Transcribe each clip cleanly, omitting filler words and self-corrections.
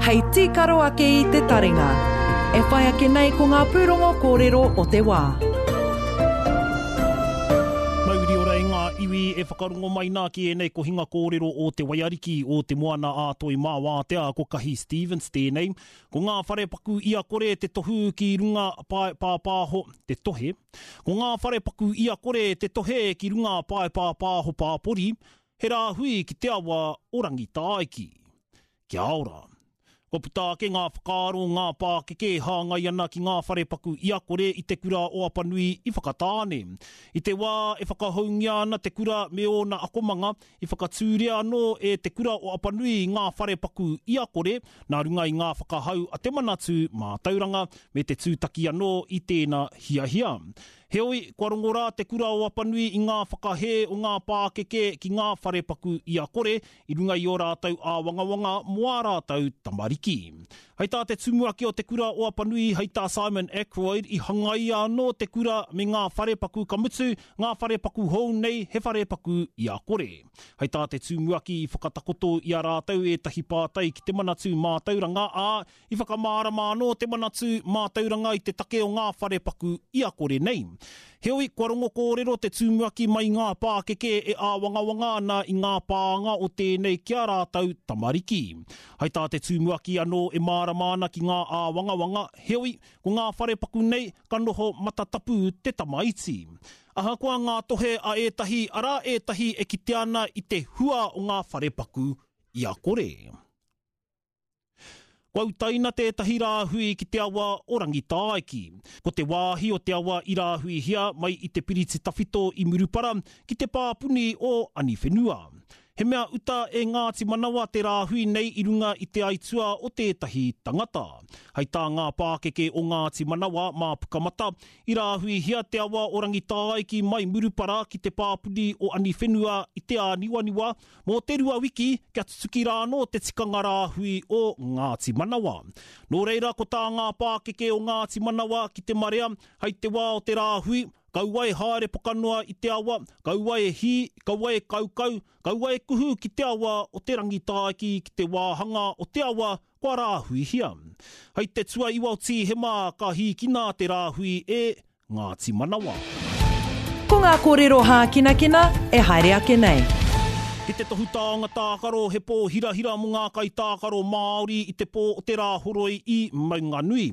Hei tīkaro ake i te taringa. E whai ake nei ko ngā pūrongo kōrero o te wā. Mauri ora e ngā iwi e whakarongo mai nā ki ēnei kohinga kōrero o Te Waiariki, o Te Moana a Toi Mā Wātea, ko Kahi Stevens tēnei. Ko ngā wharepaku ia kore te tohu ki runga pae pāpāho, te tohe. Ko ngā wharepaku ia kore te tohe ki runga pae pāpāho pāpori, He rāhui ki te awa o Rangitāiki. Kia ora. Kua puta ake ngā whakaaro o ngā pākeke e hāngai ana ki ngā wharepaku iakore i te kura o Apanui i Whakatāne. I te wā e whakahoungia ana te kura me ōna akomanga, i whakatūria anō e Te Kura o Apanui ngā wharepaku iakore nā runga i ngā whakahau a Te Manatū Mātauranga me te tūtaki anō i tēna hiahia. Heoi, kua rongo rā Te Kura o Apanui i ngā whakahē o ngā pākeke ki ngā wharepaku i a Kore i runga i ō rātou āwangawanga mō ā rātou tamariki. Hei tā te tumuaki o Te Kura o Apanui, hei tā Simon Ackroyd, i hangaia anō te kura me ngā wharepaku ka mutu, ngā wharepaku hou nei he wharepaku i a Kore. Hei tā te tumuaki i whakatakoto i a rātou ētahi pātai ki te Manatū Mātauranga, ā, I whakamārama anō te Manatū Mātauranga i te take o ngā wharepaku i a kore nei. Heoi, kua rongo kōrero te tumuaki mai ngā pākeke e āwangawanga ana i ngā pānga o tēnei ki a rātou tamariki. Hai tā te tumuaki anō e mārama ana ki ngā āwangawanga, heoi, ko ngā wharepaku nei ka noho matatapu te tamaiti. Ahakoa ngā tohe a ētahi, arā ētahi e kitea ana i te hua o ngā wharepaku i a kore. Kua utaina tētahi rāhui ki te awa o Rangitāiki. Ko te wāhi o te awa i rāhuihia mai i te piriti tawhito i Murupara ki te pāpuni o Aniwhenua. He mea uta e Ngāti Manawa te rāhui nei i runga i te aitua o tētahi tangata. Hei tā ngā pākeke o Ngāti Manawa mā Pukamata, i rāhuihia te awa o Rangitāiki mai Murupara ki te pāpuni o Aniwhenua i te āniwaniwa Mō te rua wiki, kia tutuki rā anō te tikanga rāhui o Ngāti Manawa. Nō reira, ko tā ngā pākeke o Ngāti Manawa ki te marea, hei te wā o te rāhui, kaua e haere pokanoa i te awa, kaua e hī, kaua e kaukau, kaua e kuhu ki te awa o Te Rangitāiki ki te wāhanga o te awa kua rāhuihia. Hei te tuaiwa o Tīhema ka hīkina te rāhui e Ngāti Manawa. Ko ngā kōrero hākinakina e haere ake nei. Ki te tohu taonga tākaro, he pō hirahira mō ngā kaitākaro Māori i te pō o te Rāhoroi i Maunganui.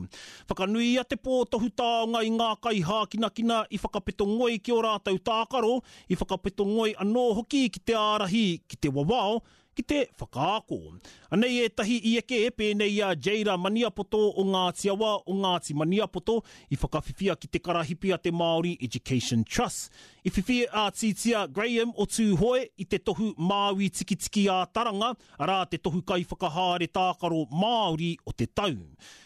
Whakanuia te pō tohu taonga i ngā kaihākinakina i whakapeto ngoi ki ō rātou tākaro, i whakapeto ngoi anō hoki ki te ārahi, ki te wawao, ki te whakaako. Anei ētahi i eke pēnei i a Jada Maniapoto o Ngāti Awa, o Ngāti Maniapoto, i whakawhiwhia ki te karahipi a te Māori Education Trust. I whiwhi a Titia Graham o Tūhoe i te tohu Māui Tikitiki ā Taranga, arā te tohu kaiwhakahaere tākaro Māori o te tau.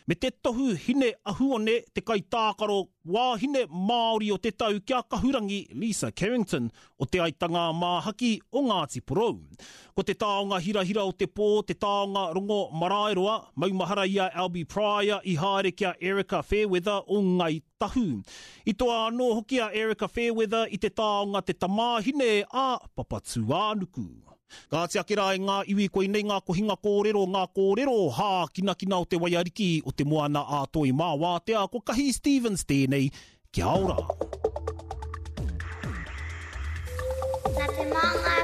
Me te tohu Hine Ahuone, te kaitākaro wāhine Māori o te tau ki a Kahurangi Lisa Carrington o Te Aitanga-a-Māhaki o Ngāti Porou. Ko te taonga hirahira o te pō, te taonga rongo maraeroa, maumahara i a Albie Pryor i haere ki a Erika Fairweather o Ngāi Tahu. I toa anō hoki a Erika Fairweather i te taonga te tamāhine a Papatūānuku. Kāti ake rā e ngā iwi koinei ngā kohinga kōrero, ngā kōrero hākinakina o te waiariki o te moana ā Toi mā Wātea, ko Kahi Stevens tēnei Kia ora! Nā te māngai.